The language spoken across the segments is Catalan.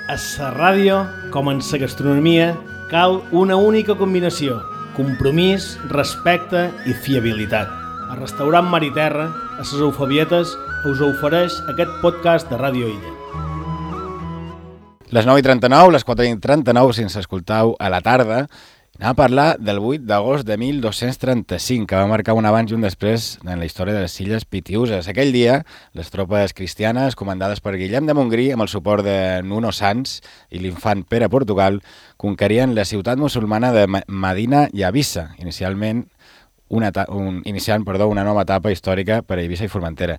A la ràdio, com en la gastronomia, cal una única combinació: compromís, respecte i fiabilitat. El restaurant Mar i Terra, a les Eufabietes, us ofereix aquest podcast de Ràdio Illa. Les 9:39, les 4:39, si ens escoltau a la tarda, anem a parlar del 8 d'agost de 1235, que va marcar un abans i un després en la història de les Illes Pitiüses. Aquell dia, les tropes cristianes, comandades per Guillem de Montgrí, amb el suport de Nuno Sanç i l'infant Pere Portugal, conquerien la ciutat musulmana de Medina i Eivissa, iniciant una nova etapa històrica per a Eivissa i Formentera.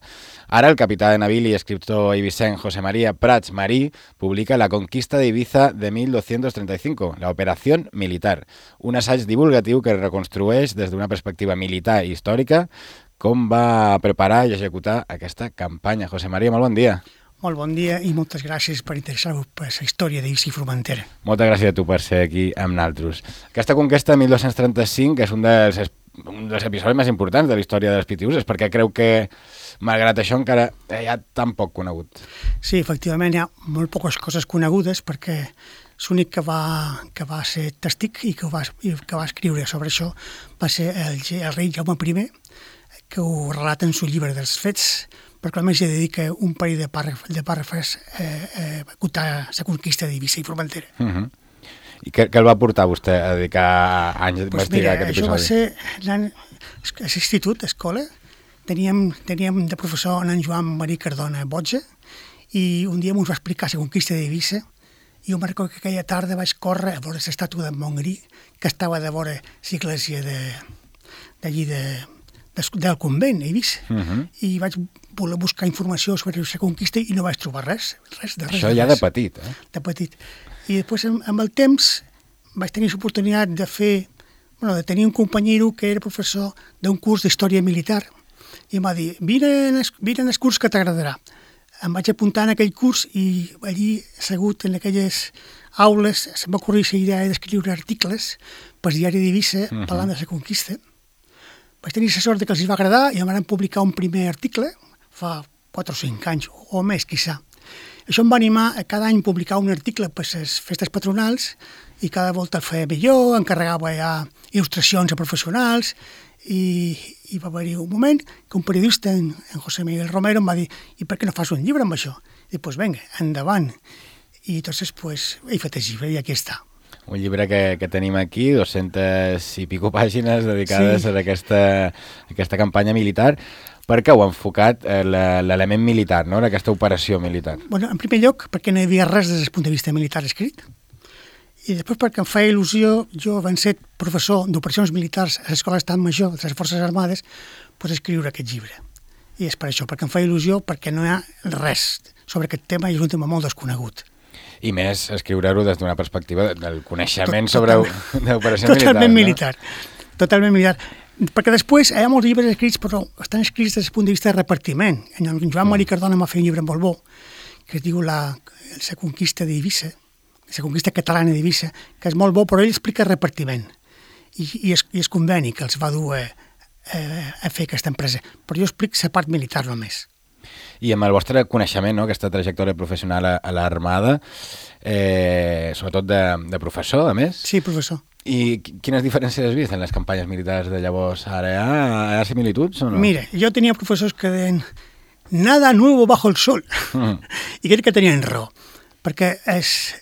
Ara el capità de navili i escriptor eivissenc José María Prats Marí publica La conquista d'Eivissa de 1235, la operació militar, un assaig divulgatiu que reconstrueix des d'una perspectiva militar i històrica com va preparar i executar aquesta campanya. José María, molt bon dia. Molt bon dia i moltes gràcies per interessar-vos per la història d'Eivissa i Formentera. Moltes gràcies a tu per ser aquí amb nosaltres. Aquesta conquesta de 1235 és un dels episodis més importants de la història de les Pitiüses, perquè creu que, malgrat això, encara hi ha tan poc conegut. Sí, efectivament, hi ha molt poques coses conegudes, perquè l'únic que va ser testic i que va escriure sobre això va ser el rei Jaume I, que ho relata en el llibre dels fets, perquè a més hi dedica un parell de pàrrafes a contar la conquista d'Eivissa i Formentera. I què el va portar vostè a dedicar anys a investigar aquest episodi? Això va ser a l'institut, a escola. Teníem de professor en Joan Marí Cardona Botja, i un dia ens va explicar la conquista d'Eivissa, i jo me'n recordo que aquella tarda vaig córrer a veure l'estàtua de Montgrí, que estava de vora l'església d'allí del convent, a Eivissa, i vaig voler buscar informació sobre la conquista i no vaig trobar res. Això ja de petit, eh? De petit. I després, amb el temps, vaig tenir l'oportunitat de tenir un companyero que era professor d'un curs d'història militar, i em va dir, vine en el curs que t'agradarà. Em vaig apuntar en aquell curs i allí, assegut en aquelles aules, se'm va ocorrir la idea d'escriure articles pel diari d'Eivissa parlant de la conquista. Vaig tenir la sort que els va agradar i em van publicar un primer article fa 4 o 5 anys, o més, quizà. Això em va animar a cada any publicar un article per les festes patronals, i cada volta el feia millor, encarregava ja il·lustracions a professionals, i va haver-hi un moment que un periodista, en José Miguel Romero, em va dir, i per què no fas un llibre amb això? I dic, doncs vinga, endavant. I entonces, he fet el llibre i aquí està. Un llibre que tenim aquí, 200 i pico pàgines dedicades a aquesta campanya militar. Per què heu enfocat l'element militar, no?, aquesta operació militar? Bueno, en primer lloc, perquè no hi havia res des del punt de vista militar escrit. I després perquè em feia il·lusió, jo, havent set professor d'operacions militars a l'Escola d'Estat Major de les Forces Armades, escriure aquest llibre. I és per això, perquè em feia il·lusió, perquè no hi ha res sobre aquest tema i és un tema molt desconegut. I més, escriure-ho des d'una perspectiva del coneixement sobre l'operació militar. Totalment militar. Totalment militar. Perquè després hi ha molts llibres escrits, però estan escrits des del punt de vista de repartiment. En Joan Marí Cardona m'ha fet un llibre molt bo, que es diu la conquista d'Eivissa, la conquista catalana d'Eivissa, que és molt bo, però ell explica el repartiment. I és conveni que els va dur a fer aquesta empresa. Però jo explico la part militar només. I amb el vostre coneixement, no?, aquesta trajectòria professional a l'Armada, sobretot de professor, a més? Sí, professor. I quines diferències has vist en les campanyes militars de llavors? Ara hi ha similituds o no? Mira, jo tenia professors que deien nada nuevo bajo el sol. I crec que tenien raó, perquè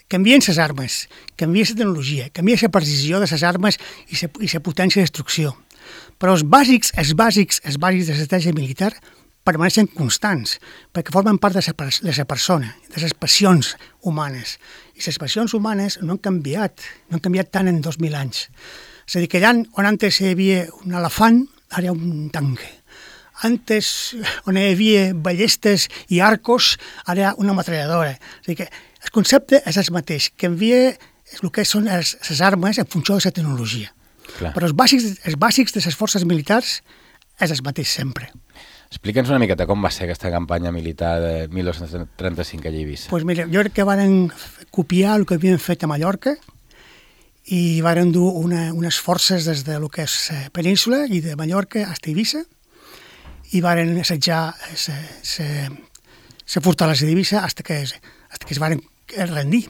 canvien les armes, canvia la tecnologia, canvia la precisió de les armes i la potència de destrucció. Però els bàsics de l'estratègia militar permaneixen constants, perquè formen part de la persona, de les passions humanes. I les passions humanes no han canviat tant en 2000 anys. És a dir, que allà on antes hi havia un elefant, ara hi ha un tanque. Antes, on hi havia ballestes i arcos, ara hi ha una metralladora. És a dir, que el concepte és el mateix, canvia el que són les armes en funció de la tecnologia. Clar. Però els bàsics de les forces militars és el mateix sempre. Explica'ns una miqueta com va ser aquesta campanya militar de 1235 a Eivissa. Doncs mira, jo crec que varen copiar el que havien fet a Mallorca i varen dur unes forces des de lo que és península i de Mallorca a Eivissa i varen assetjar la fortalesa d'Eivissa fins que es varen es rendir.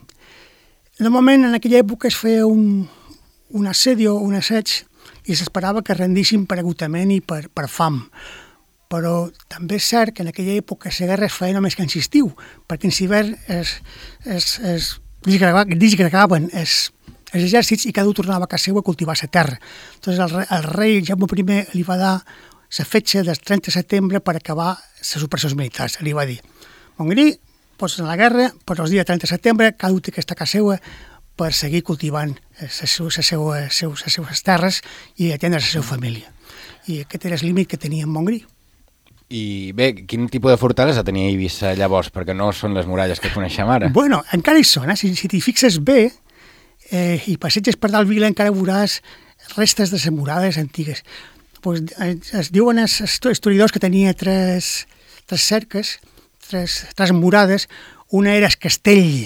Normalment, en aquella època es feia un assedio, un assaig, i s'esperava que rendissin per agotament i per fam. Però també és cert que en aquella època la guerra es feia només que en estiu, perquè en hivern es disgregaven els exèrcits i cada un tornava a casa seva a cultivar la terra. Entonces el rei Jaume I li va dar la fetge del 30 de setembre per acabar les operacions militars. Li va dir, Montgrí, pots anar a la guerra, però el dia 30 de setembre cada un té que estar a casa seva per seguir cultivant les seues terres i atendre la seva família. I aquest era el límit que tenia en Montgrí. I bé, quin tipus de fortalesa tenia Eivissa llavors? Perquè no són les muralles que coneixem ara. Bueno, encara hi són, si t'hi fixes bé i passeges per dalt Vila encara veuràs restes de les murades antigues. Pues, es diuen els historiadors que tenia tres cerques, tres murades. Una era el castell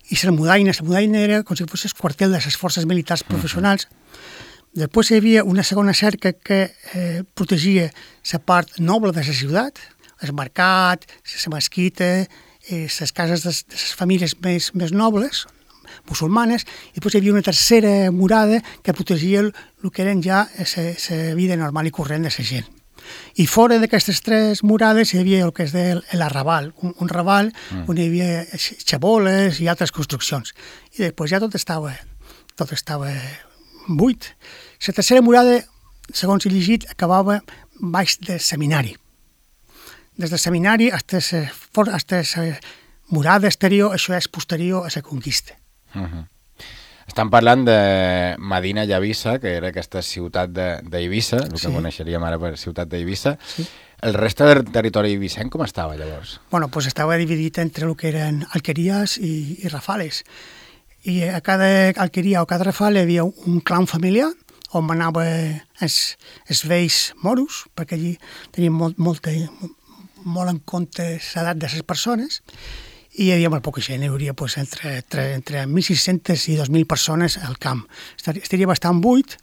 i la mudaina era com si fos el quartel de les forces militars professionals. Després hi havia una segona cerca que protegia la part noble de la ciutat, el mercat, la mesquita, les cases de les famílies més nobles, musulmanes, i després hi havia una tercera murada que protegia el que eren ja la vida normal i corrent de la gent. I fora d'aquestes tres murades hi havia el que es deia l'arrabal, un raval on hi havia xaboles i altres construccions. I després ja tot estava buit. La tercera murada, segons he llegit, acabava baix del seminari. Des del seminari fins a la murada exterior, això és posterior a la conquista. Estan parlant de Medina Llavissa, que era aquesta ciutat d'Eivissa, el que coneixeríem ara per ciutat d'Eivissa. Sí. El reste del territori eivissenc com estava llavors? Bueno, pues estava dividit entre el que eren alqueries i rafales. I a cada alqueria o cada rafal hi havia un clan familiar on anava els vells moros, perquè allí tenien molt en compte l'edat de les persones, i hi havia molt poca gent, hi hauria entre 1.600 i 2.000 persones al camp. Estaria bastant buit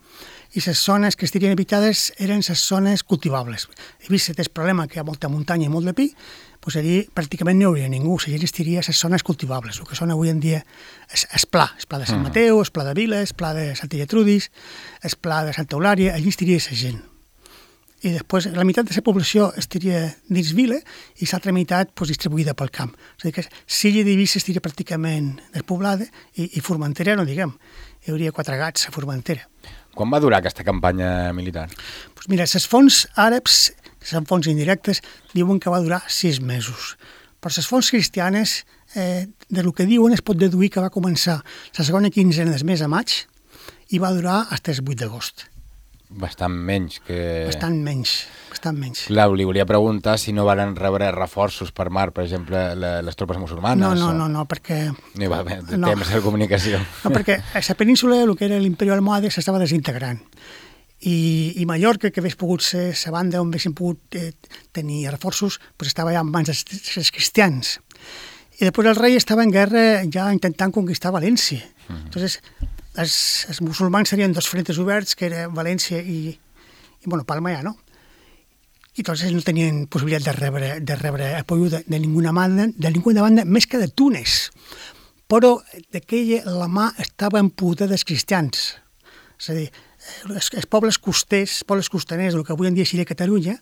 i les zones que estarien habitades eren les zones cultivables. He vist el problema que hi ha molta muntanya i molt de pi, doncs allí pràcticament no hi hauria ningú, la gent estaria a les zones cultivables, el que són avui en dia el pla de Sant Mateu, el pla de Vila, el pla de Santa Gertrudis, el pla de Santa Eulària, allí estaria la gent. I després la meitat de la població estaria dins Vila i l'altra meitat distribuïda pel camp. És a dir, que Silla d'Eivissa estaria pràcticament despoblada i Formentera, no diguem, hi hauria 4 gats a Formentera. Quan va durar aquesta campanya militar? Doncs mira, les fonts àrabs, que són fonts indirectes, diuen que va durar 6 mesos. Però les fonts cristianes, del que diuen, es pot deduir que va començar la segona quinzena del mes de maig i va durar fins el 8 d'agost. Bastant menys que... Bastant menys. Clar, li volia preguntar si no van rebre reforços per mar, per exemple, les tropes musulmanes. No, perquè... No hi va haver temps de comunicació. No, perquè a la península, el que era l'Imperi Almohade, s'estava desintegrant. I Mallorca, que hagués pogut ser la banda on haguessin pogut tenir reforços, estava ja en mans dels cristians. I després el rei estava en guerra ja intentant conquistar València. Entonces, els musulmans serien 2 frentes oberts, que era València i Palma ja, no? I entonces no tenien possibilitat de rebre apoyo de ninguna banda, més que de Túnez. Però d'aquella la mà estava en poder dels cristians. És a dir, els pobles costaners, el que avui en dia seria Catalunya,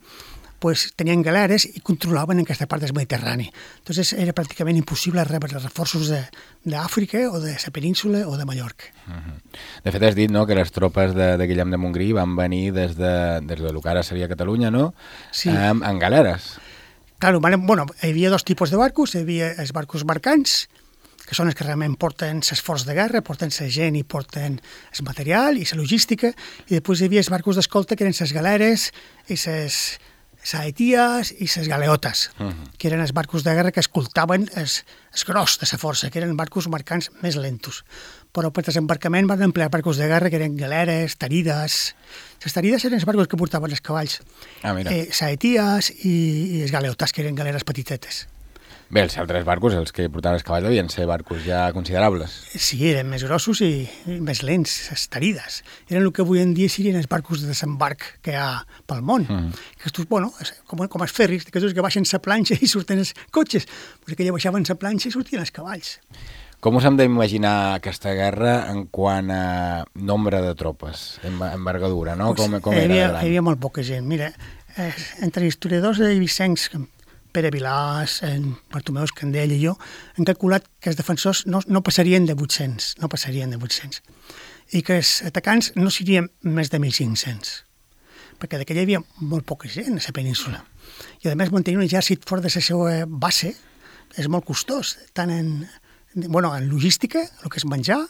tenien galeres i controlaven aquesta part del Mediterrani. Entonces era pràcticament impossible rebre reforços d'Àfrica o de la península o de Mallorca. De fet, has dit que les tropes de Guillem de Montgrí van venir des del que ara seria Catalunya, no? Sí. En galeres. Claro, hi havia 2 tipus de barcos. Hi havia els barcos mercants, que són els que realment porten l'esforç de guerra, porten la gent i porten el material i la logística, i després hi havia els barcos d'escolta, que eren les galeres i les saeties i les galeotes, que eren els barcos de guerra que escoltaven el gros de la força, que eren barcos mercants més lentos. Però per desembarcament van emplear barcos de guerra que eren galeres, tarides. Les tarides eren els barcos que portaven els cavalls. Saeties i els galeotes, que eren galeres petitetes. Bé, els altres barcos, els que portaven els cavalls, devien ser barcos ja considerables. Sí, eren més grossos i més lents, les tarides. Eren el que avui en dia serien els barcos de desembarc que hi ha pel món. Aquests, com els ferris, que baixen la planxa i surten els cotxes. Aquella baixaven la planxa i sortien els cavalls. Com us hem d'imaginar aquesta guerra en quant a nombre de tropes, envergadura, no? Com era de gran? Hi havia molt poca gent. Mira, entre historiadors de Vicenç, Pere Vilàs, Bartomeu Escandell i jo, hem calculat que els defensors no passarien de 800, i que els atacants no serien més de 1.500, perquè d'aquella hi havia molt poca gent a la península. I a més mantenir un exèrcit fora de la seva base és molt costós, tant en logística, el que és menjar,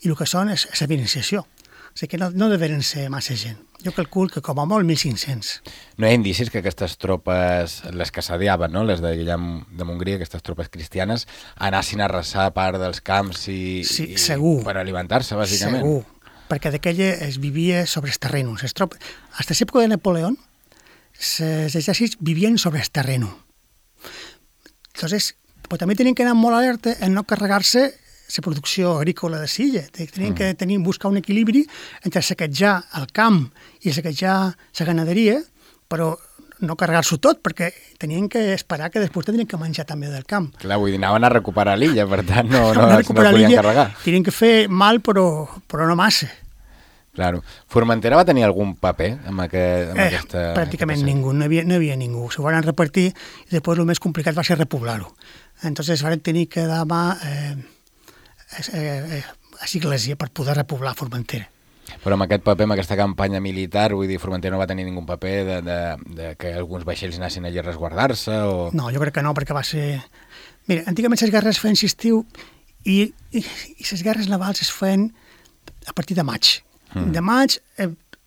i el que són és la financiació. O sigui que no deveren ser massa gent. Jo calculo que com a molt 1.500. No hi ha indicis que aquestes tropes, les que s'adiaven, no? Les de Guillem de Montgrí, aquestes tropes cristianes, anassin a arrasar part dels camps segur. Per alimentar-se, bàsicament. Segur, perquè d'aquella es vivia sobre els terrenos. Hasta l'època de Napoleó, els exèrcits vivien sobre el terreno. Entonces, però també tenien que anar molt alerta en no carregar-se la producció agrícola de l'illa. Tenien que buscar un equilibri entre saquejar el camp i saquejar la ganaderia, però no carregar-s'ho tot, perquè tenien que esperar que després tenien que menjar també del camp. Clar, vull dir, anaven a recuperar l'illa, per tant no podien carregar. Tenien que fer mal, però no massa. Claro. Formentera va tenir algun paper amb aquesta... Pràcticament ningú, no hi havia ningú. S'ho van repartir i després el més complicat va ser repoblar-ho. Entonces van tenir que dar mà a l'Església per poder repoblar Formentera. Però amb aquest paper, amb aquesta campanya militar, vull dir, Formentera no va tenir ningú paper de que alguns vaixells anessin allà a resguardar-se o... No, jo crec que no, perquè va ser... Mira, antigament les guerres es feien estiu i les guerres navals es feien a partir de maig. De maig,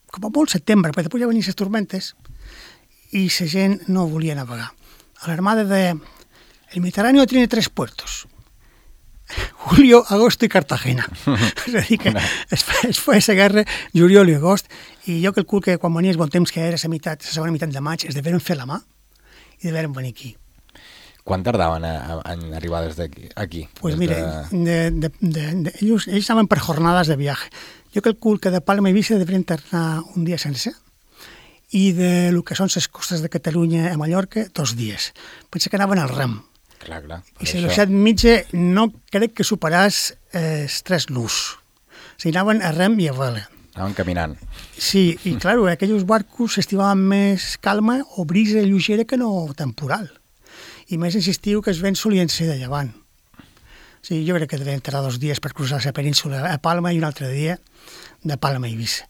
com a molt setembre, perquè després ja venien les tormentes i la gent no volia navegar. A l'armada el Mediterráneo tiene 3 puertos: Julio, agosto i Cartagena. És a dir, que es feia la guerra juliol i agost, i jo calculo que quan venia el bon temps, que era la segona meitat de maig, es deveren fer la mà i deveren venir aquí. Quan tardaven en arribar des d'aquí? Aquí? Pues mira, ells anaven per jornades de viatge. Jo calculo que de Palma i Eivissa deurien tornar un dia sencer, i de lo que són les costes de Catalunya a Mallorca, 2 dies. Pensa que anaven al rem. Clar. I la velocitat mitja no crec que superàs els 3 nus. O sigui, anaven a rem i a vela. Anaven caminant. Sí, i clar, aquells barcos estimaven més calma o brisa lleugera que no temporal. I més insistiu que els vents solien ser de llevant. O sigui, jo crec que devien tardar 2 dies per cruzar la península a Palma i un altre dia de Palma a Eivissa.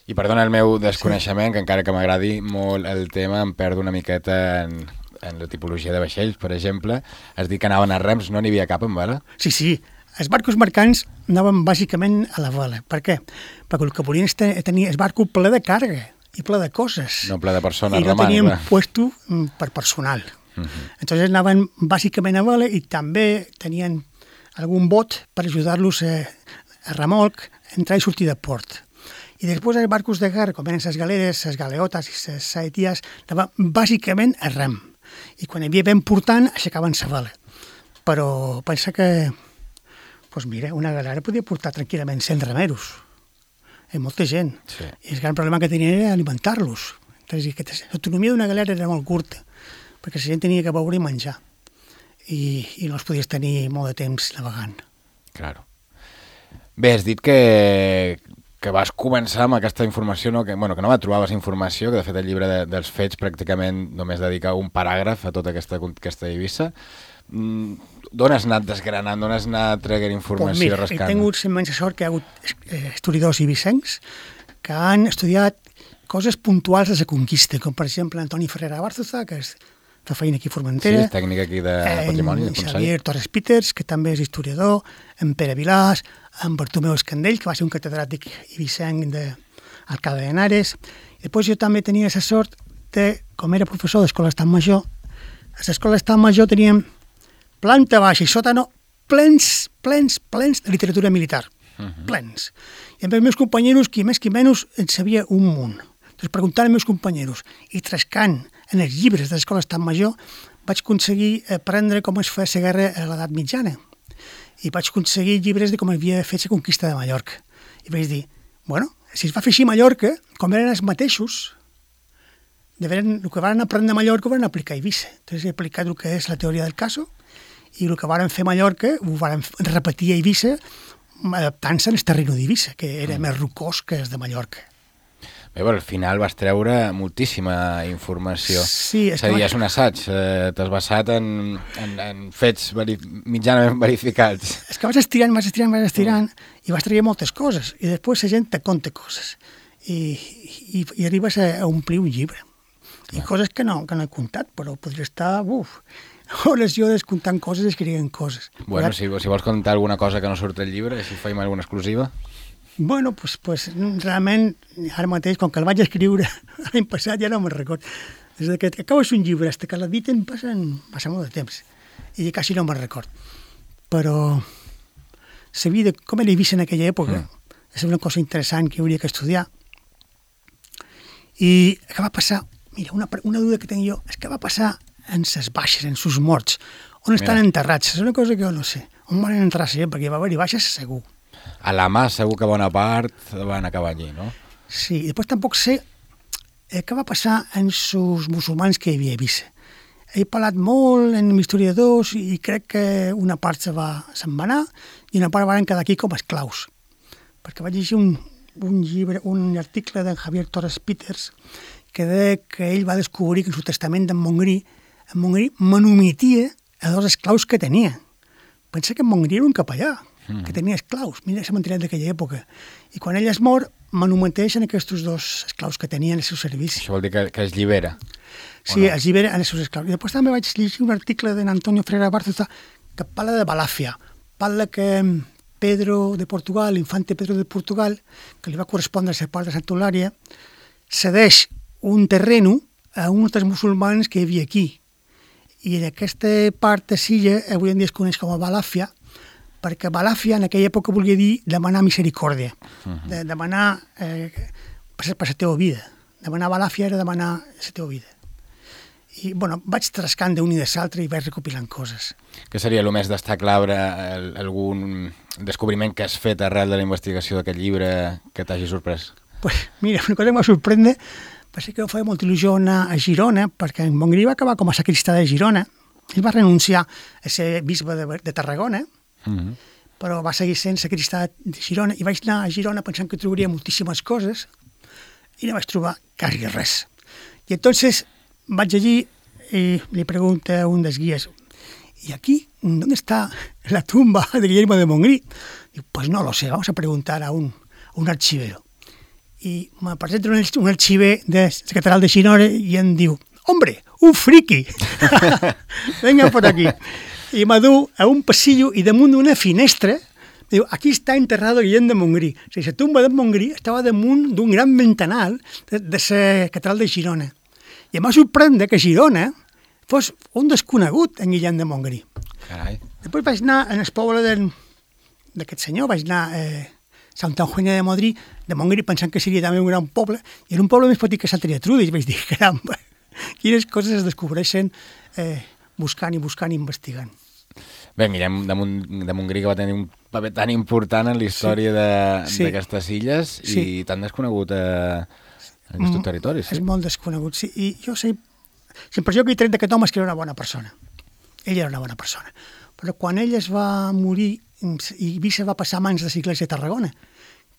I perdona el meu desconeixement, que encara que m'agradi molt el tema, em perdo una miqueta en la tipologia de vaixells, per exemple. Has dit que anaven a rems, no n'hi havia cap en vela? Sí. Els barcos mercants anaven bàsicament a la vela. Per què? Perquè el que volien és tenir el barco ple de càrrega i ple de coses. No ple de persones remant. I no tenien puesto per personal. Entonces anaven bàsicament a vela i també tenien algun bot per ajudar-los a remolc, entrar i sortir de port. I després els barcos de guerra, com eren les galeres, les galeotes i les saeties, anaven bàsicament a rem. I quan hi havia vent portant, aixecaven la vela. Però pensa que, doncs mira, una galera podia portar tranquil·lament 100 remeros. I molta gent. Sí. I el gran problema que tenien era alimentar-los. L'autonomia d'una galera era molt curta, perquè la gent tenia que beure i menjar. I no els podies tenir molt de temps navegant. Claro. Bé, has dit que vas començar amb aquesta informació, no? Que no va trobar informació, que de fet el llibre dels fets pràcticament només dedica un paràgraf a tota aquesta conquesta d'Eivissa. D'on has anat desgranant, d'on has anat traient informació, rascant? He tingut la immensa sort que hi ha hagut historiadors eivissencs que han estudiat coses puntuals de la conquista, com per exemple Antoni Ferrera Bárzoza, que fa feina aquí a Formentera. Sí, és tècnic aquí de patrimoni, de Consell. Xavier Torres Peters, que també és historiador, en Pere Vilàs, en Bartomeu Escandell, que va ser un catedràtic eivissenc d'Alcalá de Henares. I després jo també tenia la sort de, com era professor d'Escola d'Estat Major, a l'Escola d'Estat Major teníem planta baixa i sòtano plens de literatura militar. Plens. I amb els meus companys, qui més qui menys, en sabia un munt. Doncs preguntant als meus companys i trascant en els llibres de l'Escola d'Estat Major vaig aconseguir aprendre com es feia la guerra a l'edat mitjana. I vaig aconseguir llibres de com havia fet la conquista de Mallorca. I vaig dir, si es va fer així a Mallorca, com eren els mateixos, el que van aprendre a Mallorca ho van aplicar a Eivissa. Entonces he aplicat el que és la teoria del caso i el que varen fer a Mallorca ho varen repetir a Eivissa, adaptant-se al terreno d'Eivissa, que era més rocós que el de Mallorca. Bé, però al final vas treure moltíssima informació. Sí, és a dir, és un assaig, t'has basat en fets mitjanament verificats. És que vas estirant, i vas traient moltes coses, i després la gent te conta coses, i arribes a omplir un llibre. I coses que no he contat, però podria estar, hores i hores contant coses i escrivint coses. Bueno, si vols contar alguna cosa que no surt al llibre, si faim alguna exclusiva... Bueno, pues realment, ara mateix, com que el vaig escriure l'any passat, ja no me'n record. Des que acabes un llibre, fins que l'editen, passa molt de temps. I quasi no me'n record. Però la vida, com era Eivissa en aquella època, és una cosa interessant que hauria que estudiar. I què va passar? Mira, una duda que tinc jo, és què va passar en ses baixes, en sus morts? On estan enterrats? És una cosa que jo no sé. On van enterrar la gent? Perquè va haver-hi baixes segur. A la mà segur que bona part van acabar allí, no? Sí, i després tampoc sé què va passar en els musulmans que hi havia a Eivissa. He parlat molt en historiadors i crec que una part se'n va anar i una part van quedar aquí com a esclaus. Perquè vaig llegir un llibre, un article d'en Javier Torres Peters que deia que ell va descobrir que en el testament d'en Montgrí manumitia a dos esclaus que tenia. Pensa que en Montgrí era un capellà, que tenia esclaus. Mira la mentalitat d'aquella època. I quan ell es mor, manumenteixen aquests dos esclaus que tenien al seu servici. Això vol dir que es llibera? Sí, es llibera en els seus esclaus. I després també vaig llegir un article d'Antonio Freire Bárcena que parla de Balàfia. Parla que Pedro de Portugal, l'infante Pedro de Portugal, que li va correspondre a la part de Santa Eulària, cedeix un terreno a uns dels musulmans que hi havia aquí. I en aquesta part de Silla avui en dia es coneix com a Balàfia, perquè Balàfia en aquella època volia dir demanar misericòrdia, demanar per la teva vida. Demanar Balàfia era demanar la teva vida. I, vaig trascant d'un i de l'altre i vaig recopilant coses. Què seria el més destacable, algun descobriment que has fet arrel de la investigació d'aquest llibre que t'hagi sorprès? Pues, mira, una cosa que m'ha sorprendre va ser que em feia molta il·lusió anar a Girona, perquè en Montgrí va acabar com a sacristà de Girona. Ell va renunciar a ser bisbe de Tarragona, però va seguir sent sacristà de Girona, i vaig anar a Girona pensant que trobaria moltíssimes coses i no vaig trobar quasi res. I entonces vaig allí i li pregunto a un dels guies, ¿y aquí dónde está la tumba de Guillermo de Montgrí? Diu, pues no lo sé, vamos a preguntar a un archivero. I me presenta un arxiver de la catedral de Girona i em diu, ¡hombre, un friki! Venga por aquí. I me du a un passillo i damunt d'una finestra diu, aquí està enterrado Guillem de Montgrí. O sigui, la tumba de Montgrí estava damunt d'un gran ventanal de la catedral de Girona. I em va sorprendre que Girona fos un desconegut en Guillem de Montgrí. Carai. Després vaig anar en el poble d'aquest senyor, vaig anar a Santa Eugènia de Montgrí pensant que seria també un gran poble, i era un poble més petit que Santa Gertrudis, i vaig dir, caramba, quines coses es descobreixen buscant i investigant. Bé, Guillem de Montgrí, que va tenir un paper tan important en la història d'aquestes illes i tan desconegut en aquests territoris. És molt desconegut, sí. I jo sé, la impressió que he tret d'aquest home és que era una bona persona. Ell era una bona persona. Però quan ell es va morir, Eivissa va passar a mans de l'Església de Tarragona,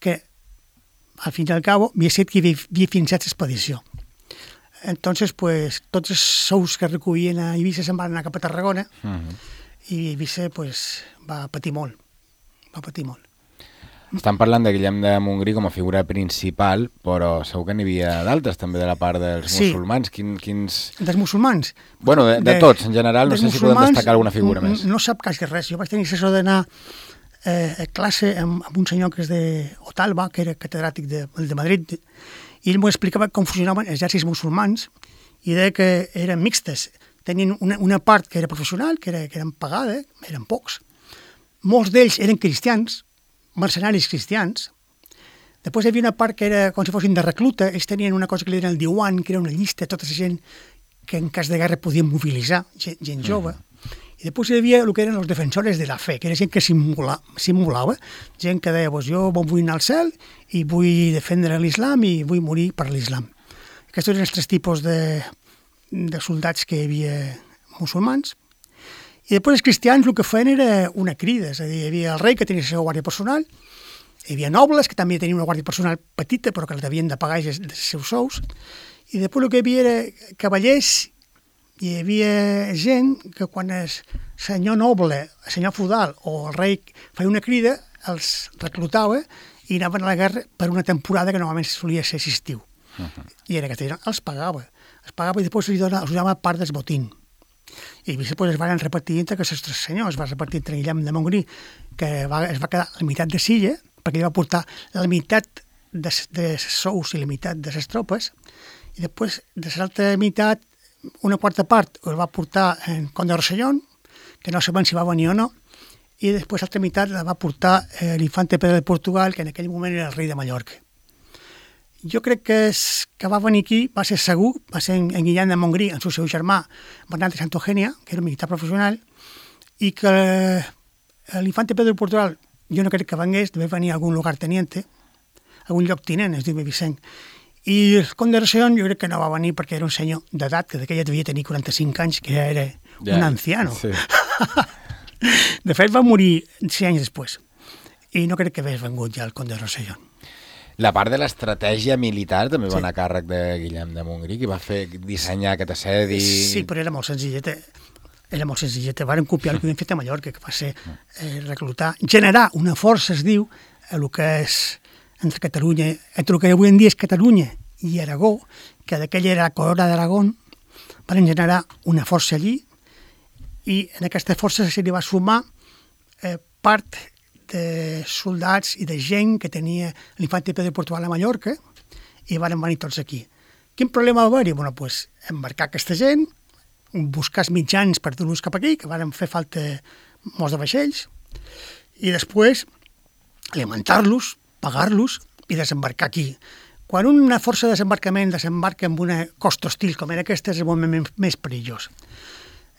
que, al fin i al cabo, havia estat qui havia finançat l'expedició. Entonces, pues, tots els sous que recollien a Eivissa se'n van anar cap a Tarragona i Eivissa, pues, va patir molt. Estan parlant de Guillem de Montgrí com a figura principal, però segur que n'hi havia d'altres, també de la part dels musulmans. Quins... Dels musulmans? Bueno, de tots, en general, no sé si podem destacar alguna figura més. No sap quasi res. Jo vaig tenir l'assessor d'anar a classe amb un senyor que és d'Otalba, que era catedràtic de Madrid, i ell m'ho explicava com funcionaven els exèrcits musulmans i deia que eren mixtes. Tenien una part que era professional, que eren pagada, eren pocs. Molts d'ells eren cristians, mercenaris cristians. Després hi havia una part que era com si fossin de recluta. Ells tenien una cosa que li deien el diwan, que era una llista de tota la gent que en cas de guerra podien mobilitzar, gent jove. I després hi havia el que eren els defensores de la fe, que era gent que simulava, gent que deia, jo vull anar al cel i vull defendre l'islam i vull morir per l'islam. Aquests eren els tres tipus de soldats que hi havia musulmans. I I després els cristians el que feien era una crida, és a dir, hi havia el rei que tenia la seva guàrdia personal, hi havia nobles que també tenien una guàrdia personal petita però que la devien de pagar dels seus sous, i després el que hi havia era cavallers, hi havia gent que quan el senyor noble, el senyor feudal o el rei feia una crida, els reclutava i anaven a la guerra per una temporada que normalment solia ser estiu. I era aquesta gent els pagava i després els donava part del botín. I després es van repartir entre aquests tres senyors, es va repartir entre Guillem de Montgrí, que es va quedar la meitat de Silla, perquè ell va portar la meitat de sous i la meitat de les tropes, i després de l'altra meitat, una quarta part el va portar en Conde de Rossellón, que no sabem si va venir o no, i després l'altra meitat la va portar l'infante Pedro de Portugal, que en aquell moment era el rei de Mallorca. Jo crec que va venir aquí, va ser segur, va ser en Guillem de Montgrí, en el seu germà, Bernat de Santa Eugènia, que era un militar professional, i que l'infante Pedro de Portugal, jo no crec que vengués, devia venir a algun lugarteniente, algun lloctinent, es diu Vicent. I el Conde de Rossellón jo crec que no va venir perquè era un senyor d'edat, que d'aquella devia tenir 45 anys, que ja era un anciano. Sí. De fet, va morir 6 anys després. I no crec que hagués vengut ja el Conde de Rossellón. La part de l'estratègia militar també va anar a càrrec de Guillem de Montgrí, que va fer dissenyar aquest assedi... Sí, però era molt senzilleta. Era molt senzilleta. Varen copiar el que havien fet a Mallorca, que va ser reclutar, generar una força, es diu, a el que és entre Catalunya, entre el que avui en dia és Catalunya i Aragó, que d'aquella era la corona d'Aragón, van generar una força allí i en aquesta força se li va sumar part de soldats i de gent que tenia l'infante Pedro de Portugal a Mallorca i van venir tots aquí. Quin problema va haver-hi? Bueno, pues, embarcar aquesta gent, buscar els mitjans per dur-los cap aquí, que van fer falta molts de vaixells, i després alimentar-los, pagar-los i desembarcar aquí. Quan una força de desembarcament desembarca en una costa hostil com era aquesta, és el moment més perillós.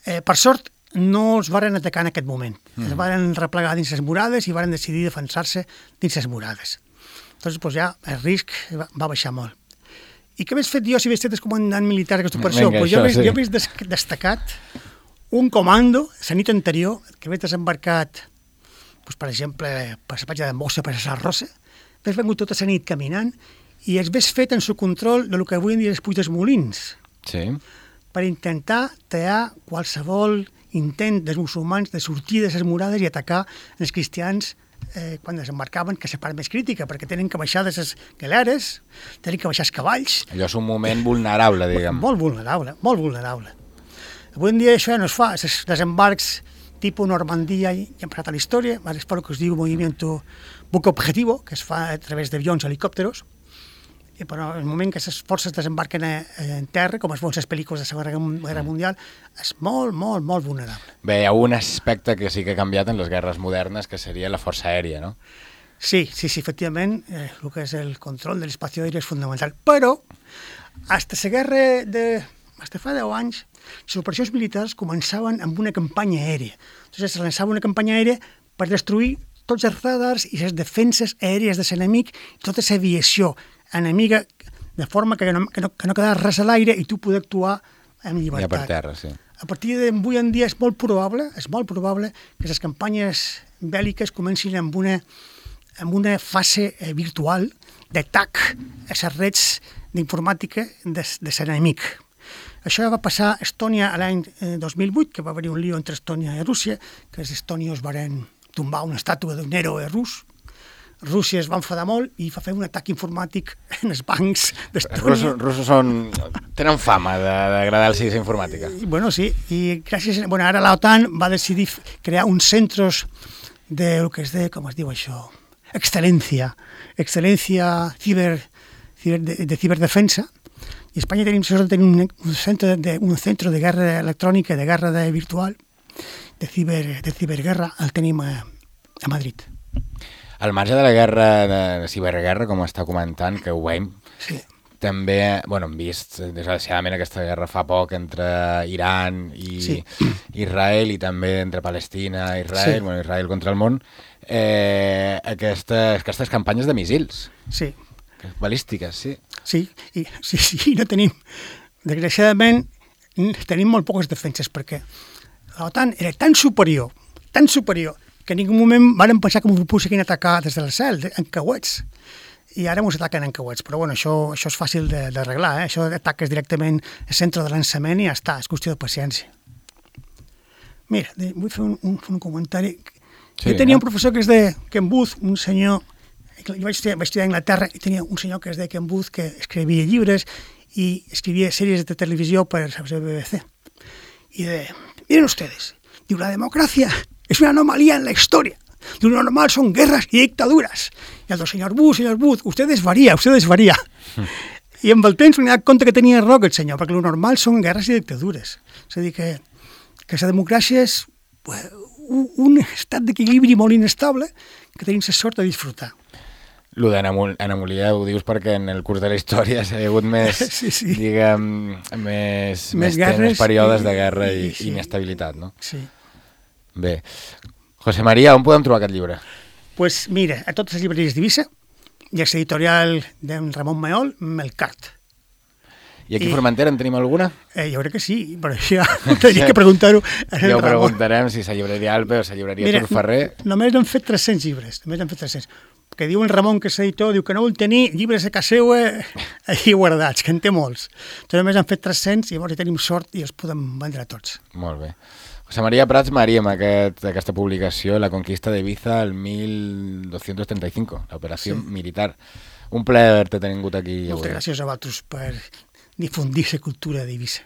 Per sort, no els varen atacar en aquest moment. Es varen replegar dins les murades i varen decidir defensar-se dins les murades. Doncs ja el risc va baixar molt. I què hagués fet jo si hagués estat el comandant militar d'aquesta operació? Jo hagués destacat un comando la nit anterior que hagués desembarcat, per exemple, per la platja de Mossa, per la Rosa, hagués vengut tota la nit caminant i es hagués fet en su control del que avui en dia és Puig dels Molins. Sí. Per intentar tallar qualsevol intent dels musulmans de sortir de les murades i atacar els cristians quan desembarcaven, que és la part més crítica, perquè tenen que baixar de les galeres, tenen que baixar els cavalls. Allò és un moment vulnerable, diguem. Molt vulnerable, molt vulnerable. Avui en dia això ja no es fa, els desembarcs tipus Normandia ja han passat a la història, es fa el que es diu moviment buque objetivo, que es fa a través d'avions, helicòpteros, però en el moment que les forces desembarquen en terra, com es veuen les pel·lícules de la Segona Guerra Mundial, és molt, molt, molt vulnerable. Bé, hi ha un aspecte que sí que ha canviat en les guerres modernes, que seria la força aèria, no? Sí, efectivament, el que és el control de l'espai aeri és fundamental. Però, fins la guerra fins fa 10 anys, les operacions militars començaven amb una campanya aèria. Entonces, es llançava una campanya aèria per destruir tots els radars i les defenses aèries de l'enemic i tota l'aviació enemiga, de forma que no quedava res a l'aire i tu poder actuar amb llibertat. Ja per terra, sí. A partir d'avui en dia és molt probable que les campanyes bèl·liques comencin amb una fase virtual d'atac a les rets d'informàtica de l'enemic. Això va passar a Estònia l'any 2008, que va haver-hi un lío entre Estònia i Rússia, que els estònios van tombar una estàtua d'un héroe rus. Rússia es va enfadar molt i va fer un atac informàtic en els bancs d'Estònia. Els russos tenen fama d'agradar-los la informàtica. Bueno, sí, i gràcies... Bueno, ara l'OTAN va decidir crear uns centres de lo que es de, com es diu això, excel·lència de ciberdefensa, i a Espanya tenim un centre de guerra electrònica, de guerra virtual, de ciberguerra, el tenim a Madrid. Al marge de la guerra, de ciberguerra, com està comentant, que ho veiem, sí. També, bueno, hem vist, desgraciadament, aquesta guerra fa poc entre Iran i Israel i també entre Palestina i Israel, bueno, Israel contra el món, aquestes campanyes de missils. Sí. Balístiques, sí. Sí, no tenim... Desgraciadament, tenim molt poques defenses, perquè l'OTAN era tan superior, que en ningú moment van pensar que ens poguessin atacar des del cel, en cauets. I ara ens ataquen en cauets, però bueno, això és fàcil d'arreglar, això ataques directament al centre de lançament i ja està, és qüestió de paciència. Mira, vull fer un comentari. Sí, jo tenia un professor que es deia Ken Booth, un senyor, jo vaig estudiar a Anglaterra i tenia un senyor que es deia Ken Booth que escrivia llibres i escrivia sèries de televisió per la BBC. I deia, miren ustedes, diu, la democracia es una anomalía en la historia. Lo normal son guerras y dictaduras. Y el señor Booth, ustedes varía. I amb el temps m'he donat compte que tenia raó aquest senyor, perquè lo normal són guerres i dictadures. És a dir, que la democràcia és un estat d'equilibri molt inestable que tenim la sort de disfrutar. Lo d'anomalia ho dius perquè en el curs de la història s'ha hagut més, diguem, més períodes de guerra i inestabilitat, no? Sí. Bé. José María, on podem trobar aquest llibre? Pues mira, a totes les llibreries d'Eivissa i a l'editorial d'en Ramon Mayol, Melcart. I aquí a Formentera en tenim alguna? Jo crec que sí, però això tenia que preguntar-ho a en ja ho Ramon. Preguntarem si la llibreria Alpe o la llibreria Turferrer. Només n'han fet 300 llibres, que diu en Ramon, que és editor, diu que no vol tenir llibres a casa seva allà guardats, que en té molts. Entonces, només han fet 300 i llavors hi tenim sort i els podem vendre tots. Molt bé. José María Prats Marí, amb aquesta publicació, La conquista d'Ibiza el 1235, l'operació militar. Un plaer haberte tingut aquí. Moltes gràcies a vosaltres per difundir la cultura d'Eivissa.